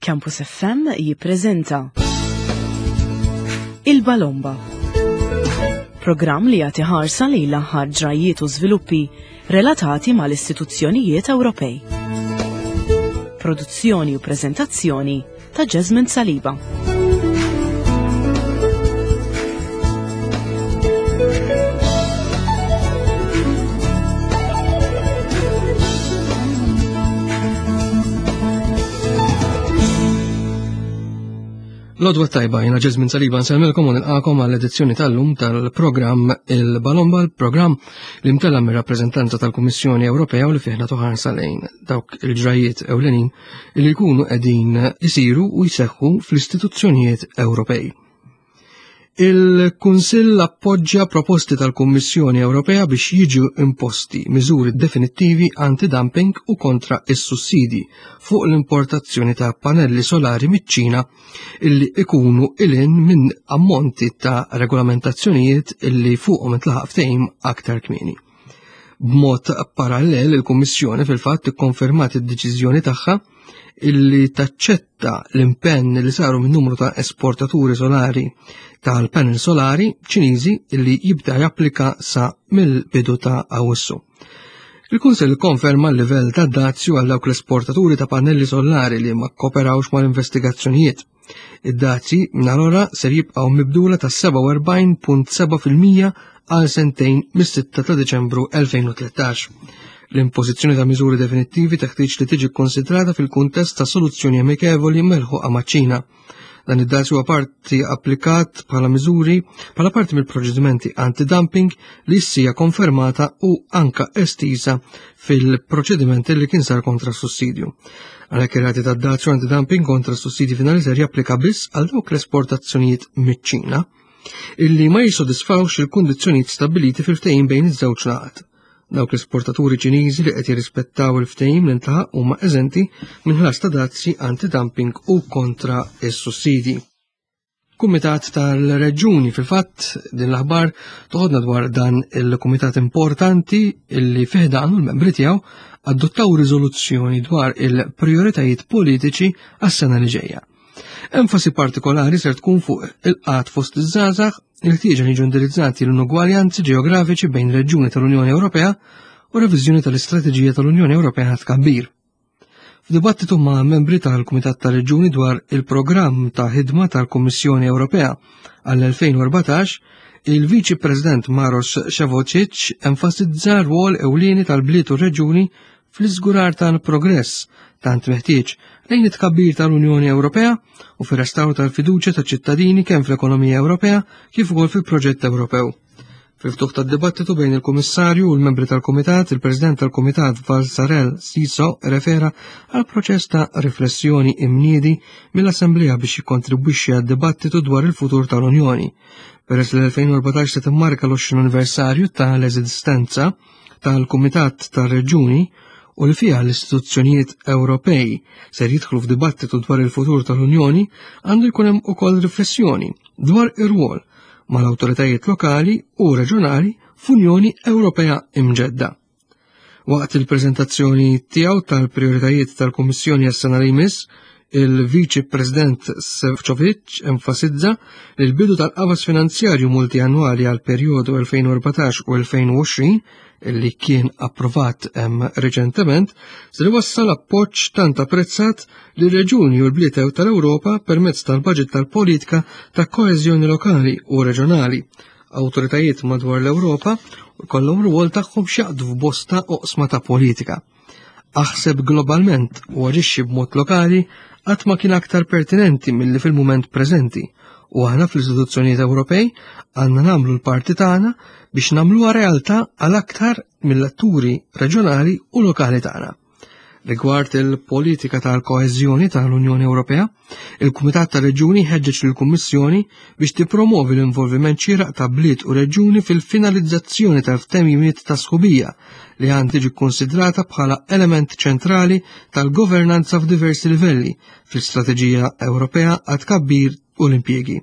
Campus FM jippreżenta Il-Balomba. Programm li jagħti ħarsa lejn l-aħħar ġrajjiet u żviluppi relatati mal-istituzzjonijiet Ewropej. Produzzjoni u preżentazzjoni ta' Jasmine Saliba. Lodwa tajba, jena Ġezmin Saliba nsellmilkom u nilqakom għall edizzjoni tal-lum tal-programm Il-Balomba, l-programm li mtella mir-rappreżentanza tal-Kummissjoni Ewropea u li fih nagħtu ħarsa lejn dawk il-ġrajiet ewlenin li jkunu qegħdin isiru u jseħħu fl-istituzzjonijiet Ewropej. Il-Kunsill appoġġja proposti tal-Kummissjoni Ewropea biex jiġu imposti miżuri definittivi anti-dumping u kontra is-sussidi fuq l-importazzjoni ta' panelli solari miċ-Ċina illi ikunu ilin minn ammonti ta' regolamentazzjonijiet illi fuqhom intlaħaq ftehim aktar kmieni. B'mod parallel, il-Kummissjoni fil-fatt ikkonfermat id-deċiżjoni tagħha illi taċċetta l-impenn li saru minn numru ta' esportaturi solari tal-panel solari Ċiniżi illi jibda japplika sa mill-bidu ta' Awwissu. Il-Kunsill konferma l-livell ta' dazju għal dawk l-esportaturi ta' pannelli solari li ma kkoperawx mal-investigazzjonijiet. Id-dazji minn ser jibqgħu mibdula ta' 47.7% għal sentejn mis-6 ta' Deċembru 2013. L-impożizzjoni ta' miżuri definittivi teħtieġ li tiġi kkonsidrata fil-kuntest ta' soluzzjoni amikevoli melħuqa maċ-Ċina. Dan id-dazju huwa parti applikat bħala miżuri bħala parti mill-proċedimenti anti-dumping li ssija konfermata u anka estiża fil-proċedimenti li kien sar kontra sussidju. Għalhekk ir-rati tad-dazju anti-dumping kontra sussidji finali ser japplika biss għal dawk l-esportazzjonijiet miċ-Ċina illi ma jissodisfawx il-kundizzjonijiet stabbiliti fil-ftehim bejn iż-żewġ laqat. Dawk l-esportaturi Ċiniżi li qed jirrispettaw il-ftehim li ntlaħaq huma eżenti minn ħlas ta' dazzi anti-dumping u kontra is-sussidji. Kumitat tal-Reġuni fil-fatt din l-aħbar toħodna dwar dan il-kumitat importanti illi fih dan l-membri tiegħu adottaw riżoluzzjoni dwar il-prioritajiet politiċi għas-sena li ġejja. Enfasi partikolari ser tkun fuq il-qat fost iż-żgħażagħ, il-ħtieġa li jiġu indirizzati l-inugwaljanzi ġeografiċi bejn reġjuni tal-Unjoni Ewropea u reviżjoni tal-istrateġija tal-Unjoni Ewropea tkabbir. F'dibattitu ma' membri tal-Kumitat tal-Reġjuni dwar il-programm ta' ħidma tal-Kummissjoni Ewropea għall-2014, il-Viċi President Maros Ševocic enfasizza r-rwol ewlieni tal-bliet u reġjuni fl-iżgurar tal-progress tant meħtieġ lejn it-tkabbir tal-Unjoni Ewropea u fir-restawr tal-fiduċja taċ-ċittadini kemm fl-ekonomija Ewropea kif ukoll fil-proġett Ewropew. Fil-ftuħ tad-dibattitu bejn il-Kummissarju u l-membri tal-Kumitat, il-President tal-Kumitat Valsarel Siso refera għal proċess ta' riflessjoni imniedi mill-Assemblea biex jikkontribwixxi għad-dibattitu dwar il-futur tal-Unjoni. Peress li l-2014 se timmarka l-20 anniversarju tal-eżistenza tal-Kumitat tar-Reġjuni u li fiha l-istituzzjonijiet Ewropej ser jidħlu f'dibattitu dwar il-futur tal-Unjoni, għandu jkun hemm ukoll riflessjoni dwar ir-rwol mal-awtoritajiet lokali u reġjonali f'Unjoni Ewropea imġedda. Waqt il-preżentazzjoni tiegħu tal-prijoritajiet tal-Kummissjoni għas-sena li jmiss, il-Viċi President Sefcovic enfasizza li l-bidu tal-qafas finanzjarju multiannwali għal perjodu 2014 u 2020 li kien approvat reċentement se li wassal appoġġ tant apprezzat li reġuni u l-bliet tal-Ewropa permezz tal-baġit tal-politika ta' koeżjoni lokali u reġjonali. Awtoritajiet madwar l-Ewropa kollhom rwol tagħhom x'jaqdu f'bosta oqsma ta' politika. Aħseb globalment u aġixxi b'mod lokali qatt ma kien aktar pertinenti milli fil-mument preżenti u aħna fl-istituzzjonijiet Ewropej għandna nagħmlu l-parti tagħna biex nagħmluha realtà għal aktar mill-atturi reġjonali u lokali tagħna. Rigward il-politika tal-koeżjoni tal-Unjoni Ewropea, il-Kumitat tar-Reġjuni ħeġġeġ lill-Kummissjoni biex tippromovi l-involviment xieraq ta' bliet u reġjuni fil-finalizzazzjoni tal-ftehimiet ta' sħubija li għand tiġi kkunsidrata bħala element ċentrali tal-governanza f'diversi livelli fl-Istrateġija Ewropea għat-tkabbir u l-impjiegi.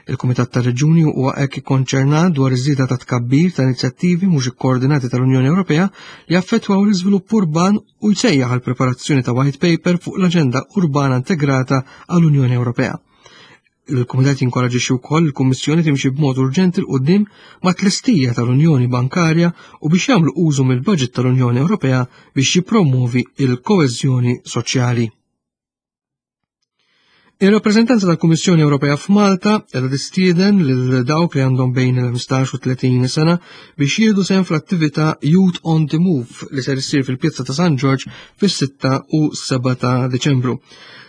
Il-Kumitat tar-Reġjuni huwa hekk ikkonċernat dwar iż-żieda ta' tkabbir ta' inizjattivi mhux ikkoordinati tal-Unjoni Ewropea li jaffettwaw l-iżvilupp urban u jsejjaħ għal preparazzjoni ta' white paper fuq l-aġenda urbana integrata għall-Unjoni Ewropea. Il-Kumitat jinkoraġixxi wkoll il-Kummissjoni timxi b'mod urġenti 'l quddiem mat-tlestija tal-Unjoni Bankarja u biex jagħmlu użu mill-baġit tal-Unjoni Ewropea biex jippromwovi l-koeżjoni soċjali. Ir-rappreżentanza tal-Kummissjoni Ewropea f'Malta qiegħda tistieden lil dawk li għandhom bejn il-15 u 30 sena biex jieħdu sehem fl-attività Youth on the Move li ser issir fil-Pjazza ta' San Ġorġ fis-6 u 7 ta' Diċembru.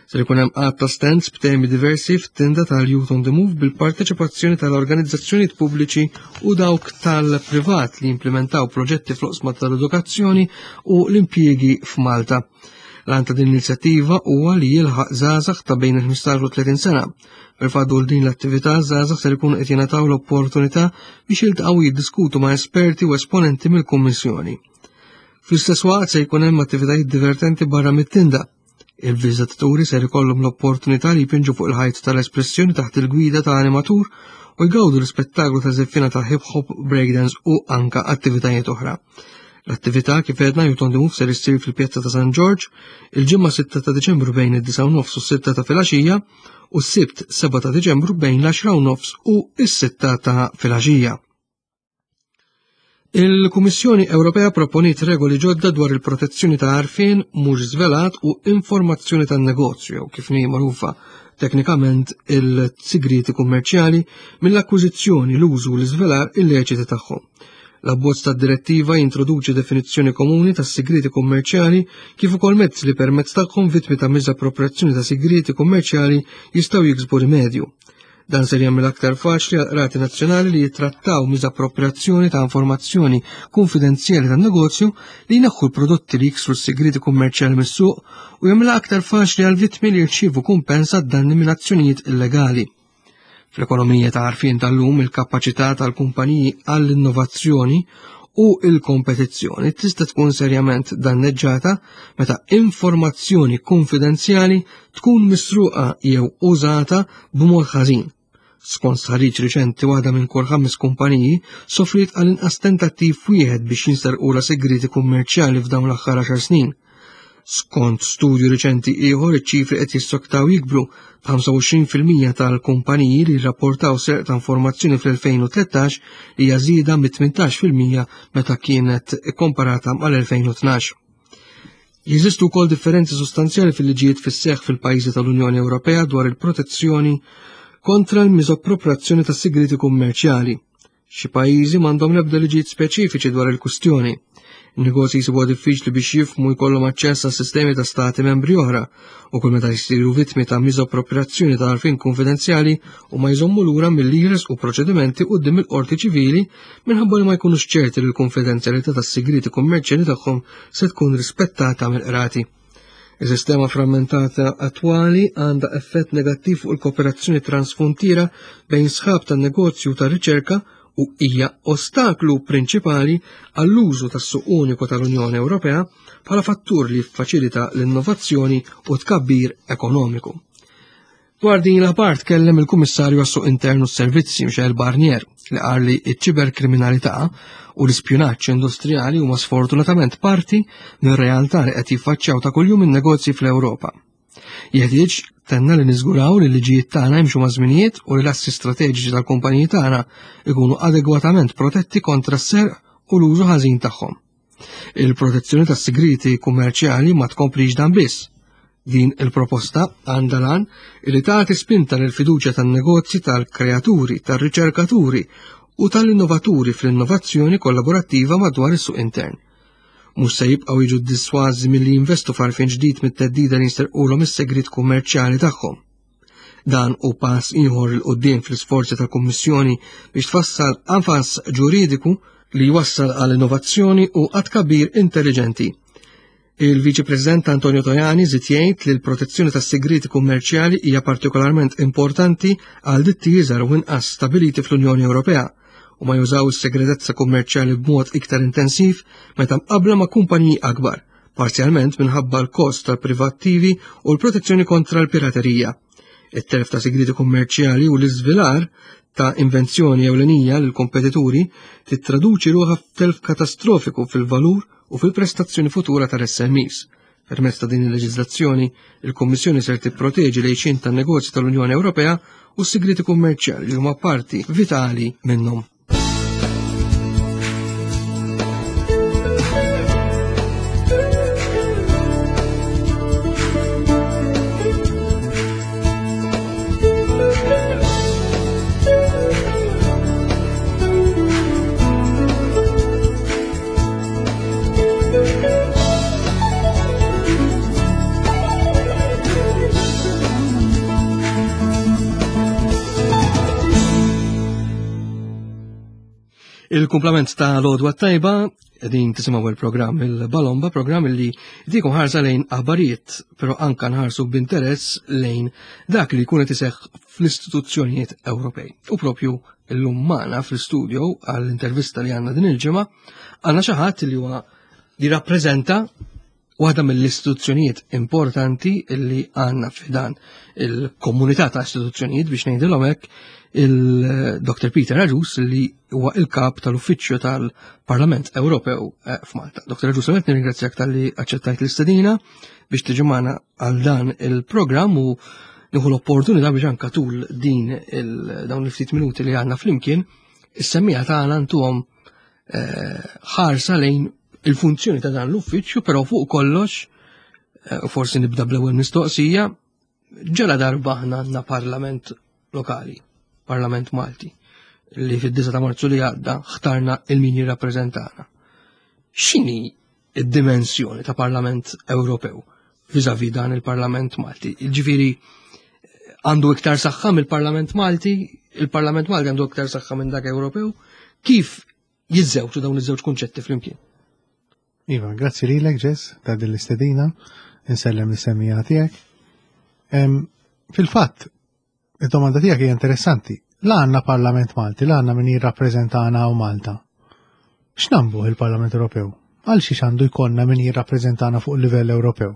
Ser ikun hemm għadd ta' stands b'temi diversi f'tinda tal-Youth on the Move bil-parteċipazzjoni tal-organizzazzjonijiet pubbliċi u dawk tal-privat li jimplementaw proġetti fl-oqsma tal-edukazzjoni u l-impjiegi f'Malta. L-għan ta' din l-inizjattiva huwa li jilħaq żgħażagħ ta' bejn il-15 u 30 sena. Fil-fatt din l-attività żgħażagħ ser ikunu qed jingħataw l-opportunità biex jiltaqgħu jiddiskutu ma' esperti u esponenti mill-Kummissjoni. Fl-istess waqt se jkun hemm attivitajiet divertenti barra mit-tinda. Il-viżitaturi ser ikollhom l-opportunità li jpinġu fuq il-ħajt tal-espressjoni taħt il-gwida ta' animatur u jgawdu l-ispettaklu ta' żeffina ta' hip hop, breakdance u anka attivitajiet oħra. L-attività kif għedna Youth on the Move ser issir fil-Pjazza ta' San Ġorġ il-ġimgħa 6 ta' Diċembru bejn id-9 nofs u s-6 ta' filgħaxija u s-Sibt 7 ta' Diċembru bejn l-10 nofs u s-6 ta' filgħaxija. Il-Kummissjoni Ewropea proponiet regoli ġodda dwar il-protezzjoni ta' għarfien mhux żvelat u informazzjoni tan-negozju, kif ni magħrufa teknikament il-sigriti kummerċjali mill-akkwiżizzjoni, l-użu u l-iżvelar illeċiti tagħhom. L-abbozz tad-direttiva jintroduċi definizzjoni komuni tas-sigriti kummerċjali kif ukoll mezzi li permezz tagħhom vittmi ta' miżappropriazzjoni ta' sigriti kummerċjali jistgħu jiksbu rimedju. Dan ser jagħmel aktar faċli għal qrati nazzjonali li jittrattaw miżappropriazzjoni ta' informazzjoni kunfidenzjali tan-negozju li jneħħu l-prodotti li jiksru s-sigriti kummerċjali mis-suq u jagħmilha aktar faċli għal vittmi li jirċievu kumpens għad-danni minn azzjonijiet illegali. Fl-ekonomija ta' għarfien tal-lum il-kapaċità tal-kumpaniji għall-innovazzjoni u il-kompetizzjoni tista' tkun serjament danneġġata meta informazzjoni konfidenzjali tkun misruqa jew użata b'mod ħażin. Skont stħarriġ riċenti waħda minn kull ħames kumpaniji sofriet għal inqas tentattiv wieħed biex jinserqula segreti kummerċjali f'dawn l-aħħar 10 snin. Skont studju riċenti ieħor iċ-ċifri qed jissoktaw jikbru b'25% tal-kumpaniji li rrapportaw serq ta' informazzjoni fl-2013 li hija żieda mit-18% meta kienet ikkomparata mal-2012. Jeżistu wkoll differenzi sostanzjali fil-liġijiet fis-seħħ fil-pajjiżi tal-Unjoni Ewropea dwar il-protezzjoni kontra l-miżappropriazzjoni ta' sigriti kummerċjali. Xi pajjiżi m'għandhom l-ebda liġijiet speċifiċi dwar il-kwistjoni. In-negozji jsibuha diffiċli biex jifhmu jkollhom aċċess għas sistemi ta' stati membri oħra u kull meta jsiru vittmi ta' miżappropriazzjoni ta' għarfien kunfidenzjali u ma jżommu lura milli jresqu proċedimenti quddiem il-qorti ċivili minħabba li ma jkunux ċerti li l-kunfidenzjalità tas-sigrieti kummerċjali tagħhom se tkun rispettata mill-qrati. Is-sistema frammentata attwali għandha effett negattiv fuq il-kooperazzjoni transfrontiera bejn sħab tan-negozju u tar-riċerka u hija ostaklu prinċipali għall-użu tas-suq uniku tal-Unjoni Ewropea bħala fattur li jiffaċilita l-innovazzjoni u tkabbir ekonomiku. Dwar din l-aħbar tkellem il-Kummissarju għas-Suq Intern u s-Servizzi Michel Barnier li qal li ċ-ċiberkriminalità u l-ispjunaġġ industrijali huma sfortunatament parti mir-realtà li qed jiffaċċjaw ta' kuljum in-negozji fl-Ewropa. Jeħtieġ tenna li niżguraw li l-liġijiet tagħna jimxu ma' żminijiet u li l-assi strateġiċi tal-kumpaniji tagħna ikunu adegwatament protetti kontra s-serq u l-użu ħażin tagħhom. Il-protezzjoni tas-sigriti kummerċjali ma tkomplix dan biss. Din il-proposta għandha lan li tagħti spinta lil fiduċja tan-negozji tal-kreaturi, tar-riċerkaturi u tal-innovaturi fl-innovazzjoni kollaborattiva madwar is-suq intern. Mhux se jibqgħu jiġu ddisważi milli jinvestu f'għarfien ġdid mit-theddida li jinsterqulhom is-segrit kummerċjali tagħhom. Dan hu pass ieħor 'il quddiem fl-isforzi tal-Kummissjoni biex tfassal qafas ġuridiku li jwassal għal innovazzjoni u għat-tkabbir intelliġenti. Il-Viċi President Antonio Tajani żied jgħid li l-protezzjoni tas-sigrieti kummerċjali hija partikolarment importanti għal ditti iżgħar u inqas stabiliti fl-Unjoni Ewropea u ma jużaw is-segretezza kummerċjali b'mod iktar intensiv meta mqabbla ma' kumpaniji akbar parzjalment minħabba l-kost tal-privattivi u l-protezzjoni kontra l-piraterija. It-telf ta' sigrieti kummerċjali u l-iżvilar ta' invenzjoni ewlenija lil kompetituri tittraduċi ruħha f'telf katastrofiku fil-valur u fil-prestazzjoni futura tal-SMEs. Permezz ta' din il-leġiżlazzjoni, il-Kummissjoni ser tipproteġi l-għixien tan-negozji tal-Unjoni Ewropea u s-sigrieti kummerċjali li huma parti vitali minnhom. Il-kumplament ta' l-odwa tajba, din tisimaw il-programm il-Balomba, programm li dikum ħarsa lejn aħbarijiet, pero anka nħarsu b'interess lejn dak li jkun qed iseħħ fl-istituzzjonijiet Ewropej. U propju illum magħna fl-istudio għall-intervista li għandna din il-ġimgħa, għandna xi ħadd li huwa li rappreżenta waħda mill-istituzzjonijiet importanti li għandna f'dan il-komunità ta' istituzzjonijiet biex ngħidilhom hekk il-Dr. Peter Aġus li huwa il-kap tal-Uffiċċju tal-Parlament Ewropew eh, f'Malta. Dr. Aġus, għamet nirringrazzjak tal-li aċċettajt l-istedina biex tiġi magħna għal dan il-programm u nieħu l-opportunità biex anka tul din dawn il-ftit minuti li għandna flimkien is-semmija tagħna ntuhom eh, ħarsa lejn il-funzjoni ta' dan l-uffiċċju, però fuq kollox, eh, forsi nibda bl-ewwel mistoqsija, ġela darba aħna għandna parlament lokali, parlament Malti, li fid-9 ta' Marzu li għadda ħtarna il-min jirrappreżentana. X'inhi id-dimensjoni ta' Parlament Ewropew viżavi dan il-Parlament Malti? Ġifieri għandu iktar saħħa mill-Parlament Malti, il-Parlament Malti għandu iktar saħħa minn dak Ewropew, kif jiżżewġu dawn iż-żewġ kunċetti flimkien? Iva, grazzi lilek Ġess ta' din l-istedina, insellem l-semmija tiegħek. Fil-fatt, id-domanda tiegħek hija interessanti. La għandna Parlament Malti, la għandna min jirrappreżentana u Malta. X'nambu il-Parlament Ewropew? Għal xiex għandu jkollna min jirrappreżentana fuq livell Ewropew?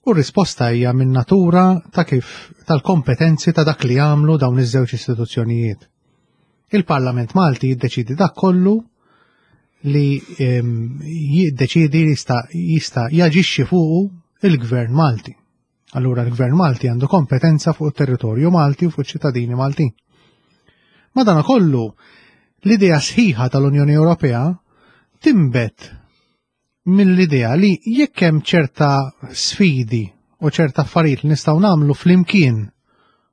U r-risposta hija minn natura ta' kif tal-kompetenzi ta' dak li jagħmlu dawn iż-żewġ istituzzjonijiet. Il-Parlament Malti jiddeċidi dak kollu li ehm, jiddeċidi jista' jista' jaġixxi fuqu il-Gvern Malti. Allura l-Gvern Malti għandu kompetenza fuq it-territorju Malti u fuq ċittadini Maltin. Madana kollu, l-idea sħiħa tal-Unjoni Ewropea timbet mill-idea li jekk hemm ċerta sfidi u ċerta affarijiet li nistgħu nagħmlu flimkien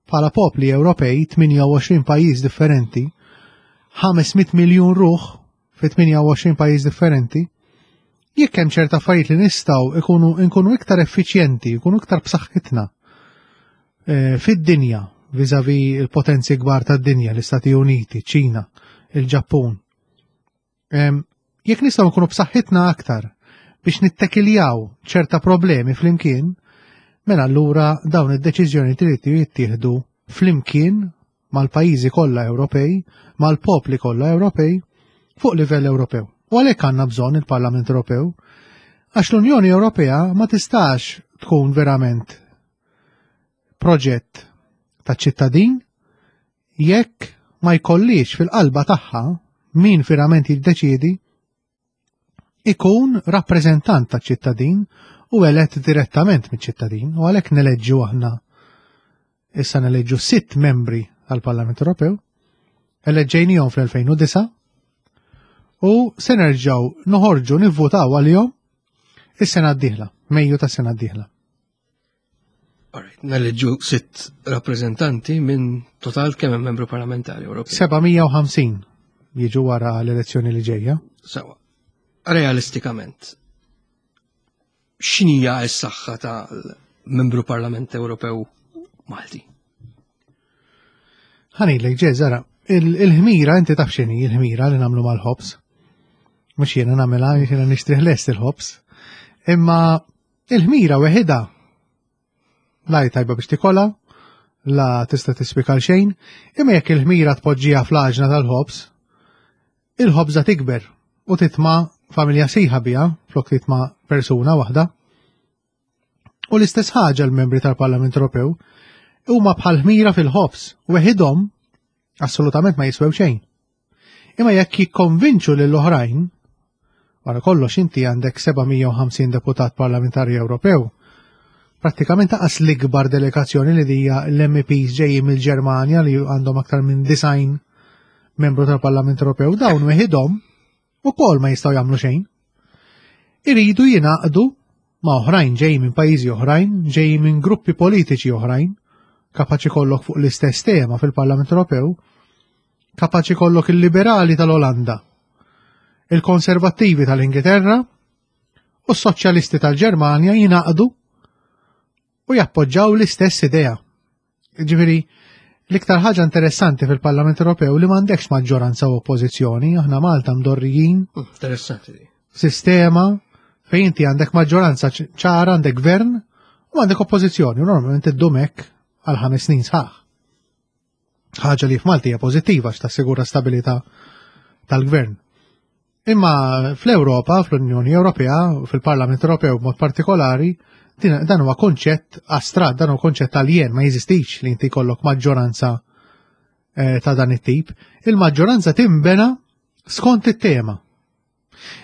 bħala popli Ewropej 28 pajjiż differenti, 500 miljun ruħ fi 28 pajjiż differenti, jekk hemm ċerta affarijiet li nistgħu ikunu nkunu iktar effiċjenti, ikunu iktar b'saħħitna eh, fid-dinja viżavi il-potenzi kbar tad-dinja, l-Istati Uniti, ċina, il-Ġappun. Jekk nistgħu nkunu b'saħħitna aktar biex nittekiljaw ċerta problemi flimkien, mela allura dawn id-deċiżjoni trid jittieħdu flimkien mal-pajjiżi kollha Ewropej, mal-popli kollha Ewropej, fuq livell Ewropew. U għalhekk għandna bżonn il-Parlament Ewropew, għax l-Unjoni Ewropea ma tistax tkun verament proġett ta' ċittadin jekk ma jkollix fil-qalba tagħha min verament jiddeċiedi ikun rappreżentant ta' ċittadin u elett direttament miċ-ċittadin u għalhekk neleġġu aħna issa neleġġu sitt membri tal-Parlament Ewropew, eleġġejnihom fl-2009 u se nerġgħu noħorġu nivvutaw għalihom is-sena d-dieħla, Mejju tas-sena d-dieħla. Alright, neleġġu sitt rappreżentanti minn total kemm hemm membru parlamentari Ewropej. 750 jiġu wara l-elezzjoni li ġejja. Sawa. Realistikament, x'inhija s-saħħa tal-membru Parlament Ewropew Malti? Ħanilek ġeżara, il-ħmira inti taf x'inhi il-ħmira li nagħmlu mal-ħobż. Mhux jiena nagħmilha, jiena nixtrih lest il-ħobż. Imma Il-ħmira weħidha la hi tajba biex tikolha, la tista' tiswik għal xejn, imma jekk il-ħmira tpoġġiha fl-għaġna tal-ħobż, il-ħobża tikber u titma' familja sħiħa biha flok titma' persuna waħda. U l-istess ħaġa l-membri tal-Parlament Ewropew huma bħal ħmira fil-ħobż, weħidhom assolutament ma jiswew xejn. Imma jekk jikkonvinċu lil oħrajn, wara kollox inti għandek 750 deputat parlamentari Ewropew, prattikament taqas l-ikbar delegazzjoni li hija l-MEPs ġejjin mill-Ġermanja li għandhom aktar minn design membru tal-Parlament Ewropew, dawn weħidhom ukoll ma jistgħu jagħmlu xejn. Iridu jingħaqdu ma' oħrajn ġej minn pajjiżi oħrajn, ġej minn gruppi politiċi oħrajn, kapaċi kollok fuq l-istess tema fil-Parlament Ewropew, kapaċi kollok il-liberali tal-Olanda, il-konservattivi tal-Ingilterra u s-soċjalisti tal-Ġermanja jingħaqdu u jappoġġaw l-istess idea. Ġifieri, l-iktar ħaġa interessanti fil-Parlament Ewropew li m'għandekx maġġoranza u oppożizzjoni, aħna Malta mdorrijin. Interessanti. Sistema fejn inti għandek maġġoranza ċara, għandek gvern u għandek oppożizzjoni, u normalment iddum hekk għal ħames snin sħaħ. Ħaġa li f'Malti hija pożittiva x'tassigura stabilità tal-gvern. Imma fl-Ewropa, fl-Unjoni Ewropea, fil-Parlament Ewropew b'mod partikolari, dan huwa konċett astrat, dan huwa konċett aljen, ma jeżistix li inti jkollok maġġoranza eh, ta' dan it-tip. Il-maġġoranza timbena skont it-tema.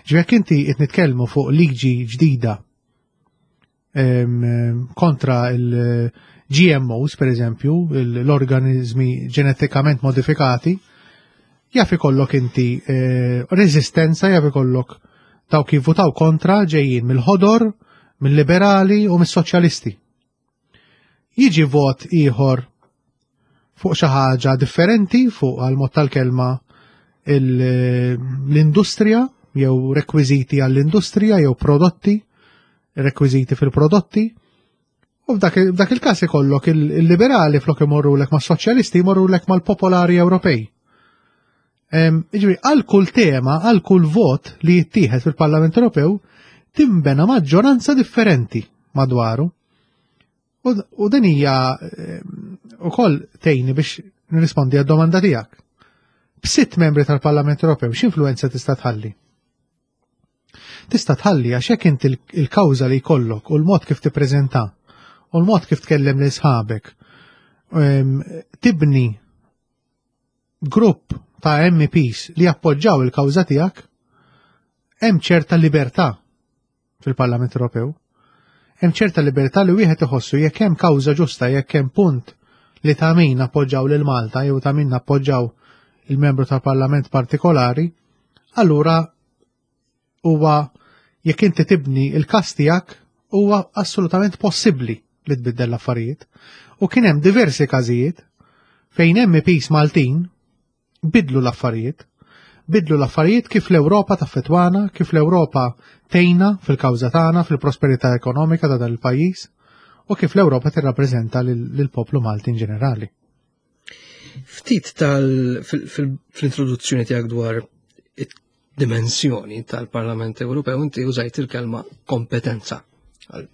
Ġvek inti qed nitkellmu fuq liġi ġdida kontra il-GMOs, per eżempju, l-organizmi ġenetikament modifikati, jaf ikollok inti eh, rezistenza, jaf ikollok dawk jivvutaw kontra ġejjin mill-ħodor, mill-liberali u mis-soċjalisti. Jiġi vot ieħor fuq xi ħaġa differenti fuq għal mod tal-kelma l-industrija jew rekwiżiti għall-industrija jew prodotti, rekwiżiti fil-prodotti. U f'dak il-każ ikollok il-liberali flok imorrulek mas-soċjalisti jmorrulek mal-popolari Ewropej. Jiġifieri għal kull tema, għal kull vot li jittieħed fil-Parlament Ewropew timbena maġġoranza differenti madwaru. U din hija ukoll tgħinni biex nirrispondi għad-domanda tiegħek. B'sitt membri tal-Parlament Ewropew x'influenza tista' tħalli? Tista' tħalli għax jekk inti l-kawża li jkollok u l-mod kif tippreżenta u l-mod kif tkellem lil sħabek tibni grupp ta' MEPs li jappoġġaw il-kawża tiegħek, hemm ċerta libertà fil-Parlament Ewropew. Hemm ċerta libertà li wieħed iħossu jekk hemm kawża ġusta, jekk hemm punt li ta' min appoġġaw lil Malta jew ta' min appoġġaw il-membru tal-Parlament partikolari, allura huwa jekk inti tibni il-każ tiegħek huwa assolutament possibbli li tbiddel l-affarijiet. U kien hemm diversi każijiet fejn MPs Maltin bidlu l-affarijiet. Bidlu l-affarijiet kif l-Ewropa taffetwana, kif l-Ewropa tejna fil-kawża tagħna, fil-prosperità ekonomika ta' dan il-pajjiż u kif l-Ewropa tirrappreżenta lill-poplu Malti in ġenerali. Ftit tal fl-introduzzjoni tiegħek dwar dimensjoni tal-Parlament Ewropew inti użajt il-kelma kompetenza.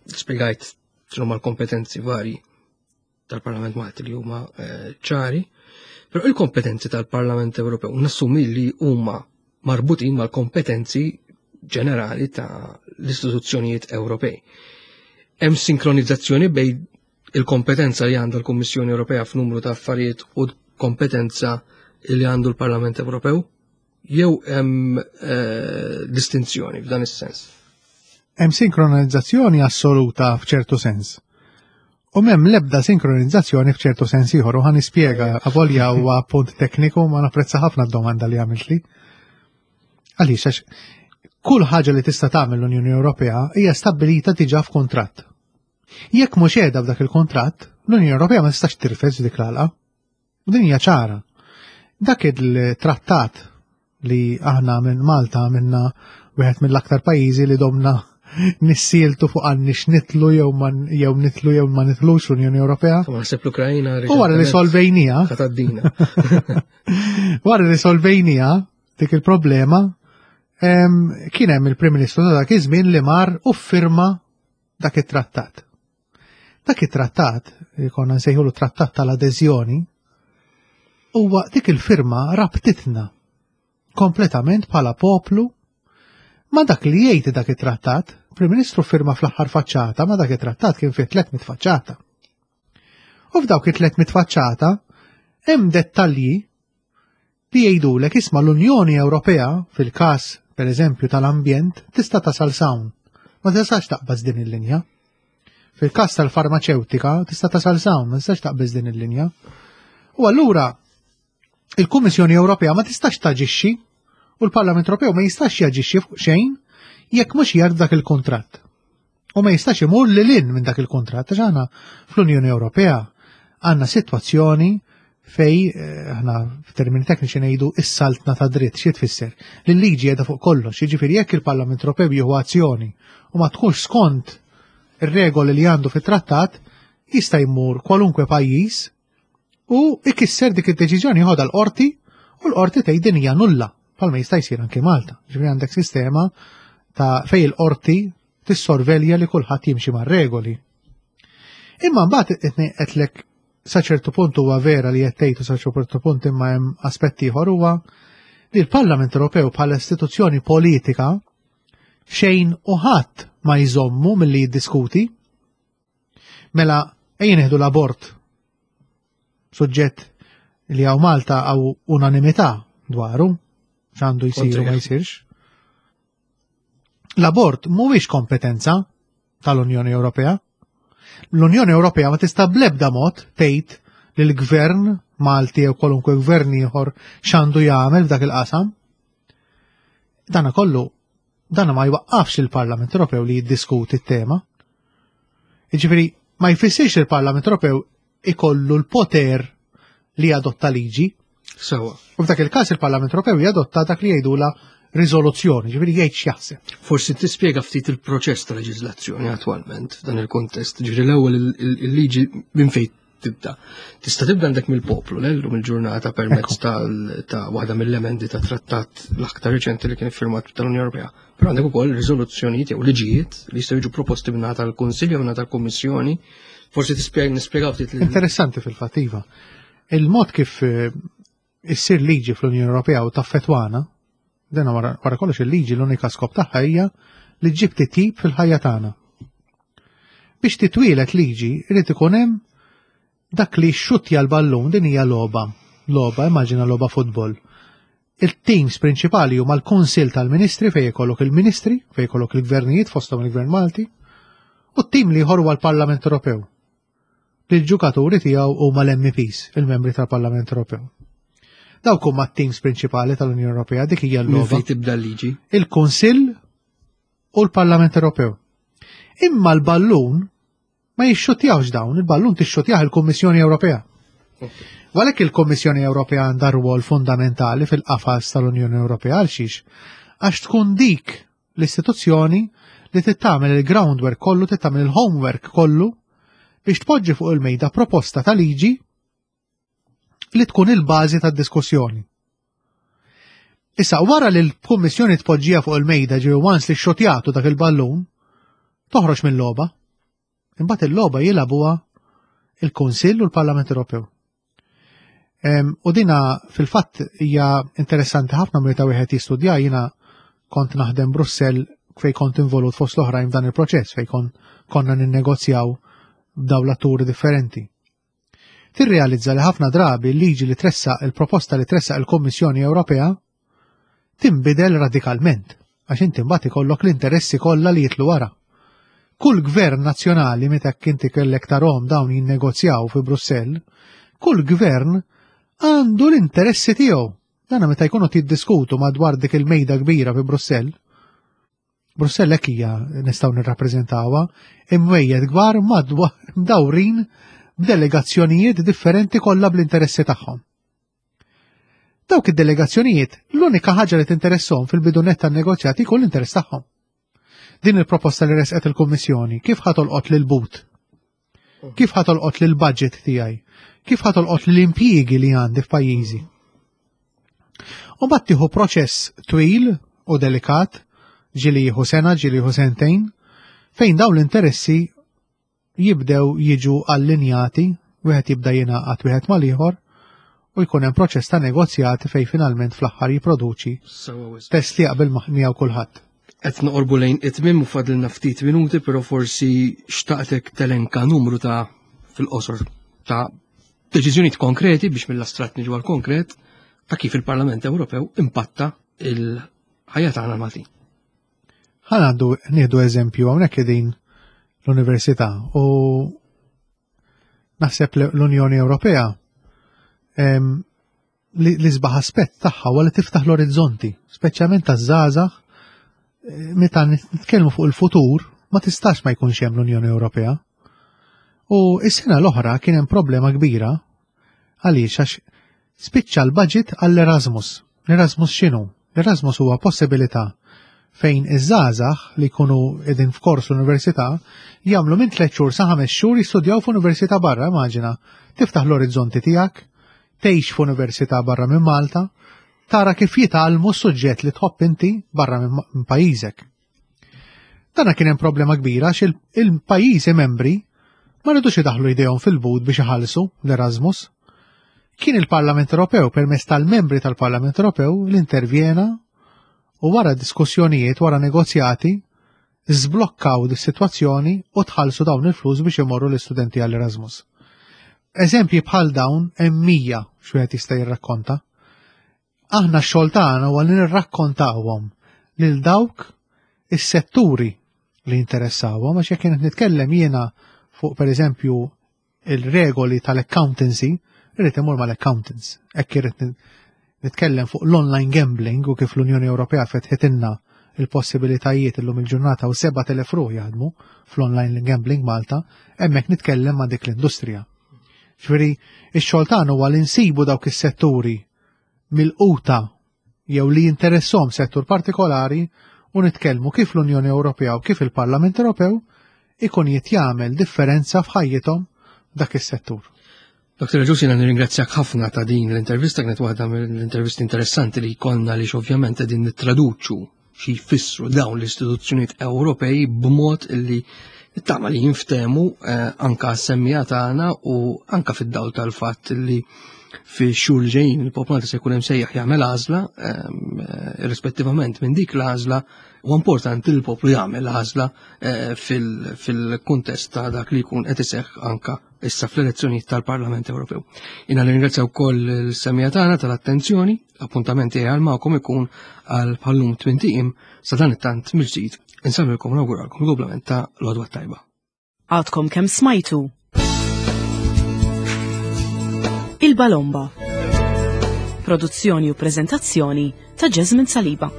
Spiegajt x'huma l-kompetenzi varji tal-Parlament Malti li huma eh, ċari, però il-kompetenzi tal-Parlament Ewropew nassumi li huma marbutin mal-kompetenzi ġenerali ta' l-istituzzjonijiet Ewropej. Hemm sinkronizzazzjoni bejn il-kompetenza li għandha l-Kummissjoni Ewropea f'numru ta' affarijiet u kompetenza li għandu l-Parlament Ewropew? Jew hemm eh, distinzjoni f'dan is-sens? Hemm sinkronizzazzjoni assoluta f'ċertu sens. U m'hemm l-ebda sinkronizzazzjoni f'ċertu sens ieħor u ħa nispjega avolja huwa punt tekniku ma napprezza ħafna d-domanda li għamiltli. Għaliex għax kull ħaġa li tista' tagħmel l-Unjoni Ewropea hija stabbilita diġà f'kuntratt. Jekk mhux qiegħda f'dak il-kuntratt, l-Unjoni Ewropea ma tistax tirfes dik l-għalqa. U din hija ċara. Dak il-trattat li aħna minn Malta minna wieħed mill-aktar pajjiżi li domna nissieltu fuq għannix nitlu jew jew nitlu jew ma nitlux l-Unjoni Ewropea. Ma naħseb l-Ukrajna. U wara li solvejnija. Wara li solvejnija dik il-problema kien hemm il-Prim Ministru ta' dak iż-żmien li mar u firma dak it-trattat. Dak it-trattat, li konna nsejħulu trattat tal-adeżjoni, huwa dik il-firma rabtitna kompletament bħala poplu ma dak li jgħid dak it-trattat. Il-Prim Ministru firma fl-aħħar faċċata ma dak it-trattat kien fih 300 faċċata. U f'dawk it-300 faċċata hemm dettalji li jgħidulek isma' l-Unjoni Ewropea fil-każ pereżempju tal-ambjent tista' tasal s'hawn. Ma tistax taqbaż din il-linja. Fil-każ tal-farmaċewtika tista' tasal s'hawn, ma tistax taqbeż din il-linja. U allura il-Kummissjoni Ewropea ma tistax taġixxi u l-Parlament Ewropew ma jistax jaġixxi fuq xejn jekk mhux jgħid dak il-kuntratt. U ma jistax imur lil hinn minn dak il-kuntratt għax aħna fl-Unjoni Ewropea għandna sitwazzjoni fej eh, aħna f'termini tekniċi ngħidu is-saltna ta' dritt xi tfisser li l-liġi qiegħda fuq kollox, jiġifieri jekk il-Parlament Ewropew jieħu azzjoni u ma tkunx skont ir-regoli li għandu fit-trattat, jista' jmur kwalunkwe pajjiż u ikisser dik id-deċiżjoni jħodha l-qorti u l-qorti tgħid din hija nulla bħalma jista' jsir anki Malta. Ġifieri għandek sistema ta' fej il-qorti tissorvelja li kulħadd jimxi mar-regoli. Imma mbagħad qedlek sa ċertu punt huwa vera li qed tgħid u sa ċertu punt imma hemm aspett ieħor huwa li l-Parlament Ewropew bħala istituzzjoni politika xejn u ħadd ma jżommu milli jiddiskuti. Mela, ejja nieħdu l-abort. Suġġett li hawn Malta għaw unanimità dwaru, x'għandu jsir u ma jsirx. L-abort mhuwiex kompetenza tal-Unjoni Ewropea. L-Unjoni Ewropea ma tista' bl-ebda mod tgħid li l-gvern Malti jew kwalunkwe gvern ieħor x'għandu jagħmel f'dak il-qasam. Dana kollu Dan ma jwaqqafx il-Parlament Ewropew li jiddiskuti t-tema. Jiġifieri ma jfissirx li l-Parlament Ewropew ikollu l-poter li jadotta liġi. Sewa. U f'dak il-każ il-Parlament Ewropew jadotta dak li jgħidula riżoluzzjoni, ġifieri jgħid x'jaħseb. Forsi tispjega ftit il-proċess ta' leġiżlazzjoni attwalment f'dan il-kontest, ġifieri l-ewwel il-liġi minn fejn tibda. Tista' tibda għandek mill-poplu, l-lum il-ġurnata permezz ta' waħda mill-emendi ta' trattat l-aktar reċenti li kien iffirmat tal-Unjoni Ewropea. Però għandek ukoll riżoluzzjonijiet jew liġijiet li jistgħu jiġu proposti minn tal-Kunsill jew minn tal-Kummissjoni. Forsi tispjega nispjegaw ftit. Interessanti fil-fatt iva. Il-mod kif eh, issir liġi fl-Unjoni Ewropea u taffetwana, dena wara kollox il-liġi l-unika skop tagħha hija li ġġib titjib fil-ħajja tagħna. Biex titwielet liġi irid ikun hemm dak li xxuttja l-ballun din hija logħba. Logħba, immaġina logħba futbol. Il-teams prinċipali huma l-Kunsill tal-Ministri fejn ikollok il-Ministri, fejn ikollok il-gvernijiet fosthom il-Gvern Malti, u t-tim li huwa l-Parlament Ewropew. li l-ġukaturi tiegħu huma l-MEPs, il-membri tal-Parlament Ewropew. Dawk huma t-teams prinċipali tal-Unjoni Ewropea, dik hija l-logħba. Fejn tibda l-liġi? Il-Kunsill u l-Parlament Ewropew. Imma l-ballun ma jixxutjawx dawn, il-ballun tixxutjah il-Kummissjoni Ewropea. Għalhekk il-Kummissjoni Ewropea għandha rwol fundamentali fil-qafas tal-Unjoni Ewropea għal xiex? Għax tkun dik l-istituzzjoni li tittamel il-groundwork kollu, tittamel il-homework kollu biex tpoġġi fuq il-mejda proposta ta' liġi li tkun il-bażi tad-diskussjoni. Issa, wara li l-Kummissjoni tpoġġija fuq il-mejda ġew once li xotjatu dak il-ballun, toħroġ mill-logħba. Imbagħad il-logħba jilagħbuha il-Kunsill u l-Parlament Ewropew. U dina fil-fatt hija interessanti ħafna meta wieħed jistudja jiena kont naħdem Brussell fej kont involut fost l-oħrajn f'dan il-proċess fej kon konna ninnegozjaw b'daw l-atturi differenti. Tirrealizza li ħafna drabi l-liġi li tressaq il-proposta li tressaq il-Kommissjoni Ewropea tinbidel radikalment għax inti mbagħad ikollok l-interessi kollha li jitlu wara. Kull gvern nazzjonali meta inti kellek tarhom dawn jinnegozjaw fi Brussell, kull gvern għandu l-interessi tiegħu. Dana meta jkunu tiddiskutu madwar dik il-mejda kbira fi Brussell, Brussell hekk hija nistgħu nirrappreżentawha, imwejjed kbar madwar mdawrin b'delegazzjonijiet differenti kollha bl-interessi tagħhom. Dawk id-delegazzjonijiet l-unika ħaġa li tinteresshom fil-bidu nett tan-negozjati jkun l-interess tagħhom. Din il-proposta li resqet il-Kummissjoni kif ħa tolqot lil but? Kif ħa tolqot lil budget tiegħi? Kif ħa tolqot lil impjiegi li għandi f'pajjiżi? U mbagħad tieħu proċess twil u delikat, ġieli jieħu sena, ġieli jieħu sentejn, fejn dawn l-interessi jibdew jiġu allinjati, wieħed jibda jingħaqad wieħed mal-ieħor u jkun hemm proċess ta' negozjati fejn finalment fl-aħħar jipproduċi test li jaqbel miegħu kulħadd. Qed noqorbu lejn it-tmiem u fadlilna ftit minuti, però forsi xtaqtek telenka numru ta' fil-qosor ta' deċiżjonijiet konkreti biex mill-astratt niġu għal konkret ta' kif il-Parlament Ewropew impatta il-ħajja tagħna l-Maltin. Ħa ngħaddu nieħdu eżempju hawnhekk qegħdin l-università u naħseb l-Unjoni Ewropea li l-isbaħ aspett tagħha huwa li tiftaħ l-orizzonti, speċjalment taż-żgħażagħ eh, meta nitkellmu fuq il-futur ma tistax ma jkunx hemm l-Unjoni Ewropea. U s-sena l-oħra kien hemm problema kbira għaliex għax spiċċa l-budget għall-Erasmus. L-Erasmus x'inhu? L-Erasmus huwa possibilità fejn iż-żgħażagħ li jkunu qegħdin f'kors l-università jagħmlu minn tliet xhur sa ħames xhur jistudjaw f'università barra, immaġina. Tiftaħ l-orizzonti tiegħek, tgħix f'università barra minn Malta, tara kif jitgħallmu s-suġġett li tħobb inti barra minn pajjiżek. Dana kien hemm problema kbira għax il-pajjiżi membri ma ridux idaħlu jdejhom fil-but biex iħallsu l-Erasmus. Kien il-Parlament Ewropew permezz tal-membri tal-Parlament Ewropew li intervjena u wara diskussjonijiet, wara negozjati, żblokkaw dis-sitwazzjoni u tħallsu dawn il-flus biex imorru l-istudenti għall-Erasmus. Eżempji bħal dawn hemm 100 x'wieħed jista' jirrakkonta. Aħna x-xogħol tagħna huwa li nirrakkontawhom lil dawk is-setturi li jinteressawhom għax jekk qed nitkellem jiena fuq pereżempju il-regoli tal-accountancy, irrid imur mal-accountants. Hekk irrid nitkellem fuq l-online gambling u kif l-Unjoni Ewropea fetħitilna il-possibilitajiet illum il-ġurnata u 7,000 ruħ jaħdmu fl-online gambling Malta, hemmhekk nitkellem ma' dik l-industrija. Ġifieri, ix-xogħol tagħna huwa li nsibu dawk is-setturi milquta jew li jinteressom settur partikolari u nitkellmu kif l-Unjoni Ewropea u kif il-Parlament Ewropew ikun jiet jagħmel differenza f'ħajjithom dak is-settur. Dr. Ġus, jena nirringrazzjak ħafna ta' din l-intervista, kienet waħda mill-intervisti interessanti li jkollna li ovvjament qegħdin nittraduċu xi jfissru dawn l-istituzzjonijiet Ewropej b'mod li tama li jinftemu eh, anka semmija tagħna u anka fid-dawl tal-fatt li fi xhur li ġejjin il-poplu se jkun hemm sejjaħ jagħmel għażla ehm, eh, rispettivament minn dik l-għażla u importanti li l-poplu jagħmel għażla eh, fil-kuntest ta' dak li jkun qed iseħħ anka issa fl-elezzjonijiet tal-Parlament Ewropew. Jiena nirringrazzja wkoll l-semija tagħna tal-attenzjoni. L-appuntament tiegħi għal magħkom ikun għal bħallum tmint sa dan it-tant mill-ġdid insemmilkom nawguralkom il-goblament ta' l-għodwa tajba. Għadkom kemm smajtu. Il-Balomba. Produzzjoni u prezentazzjoni ta' Jasmine Saliba.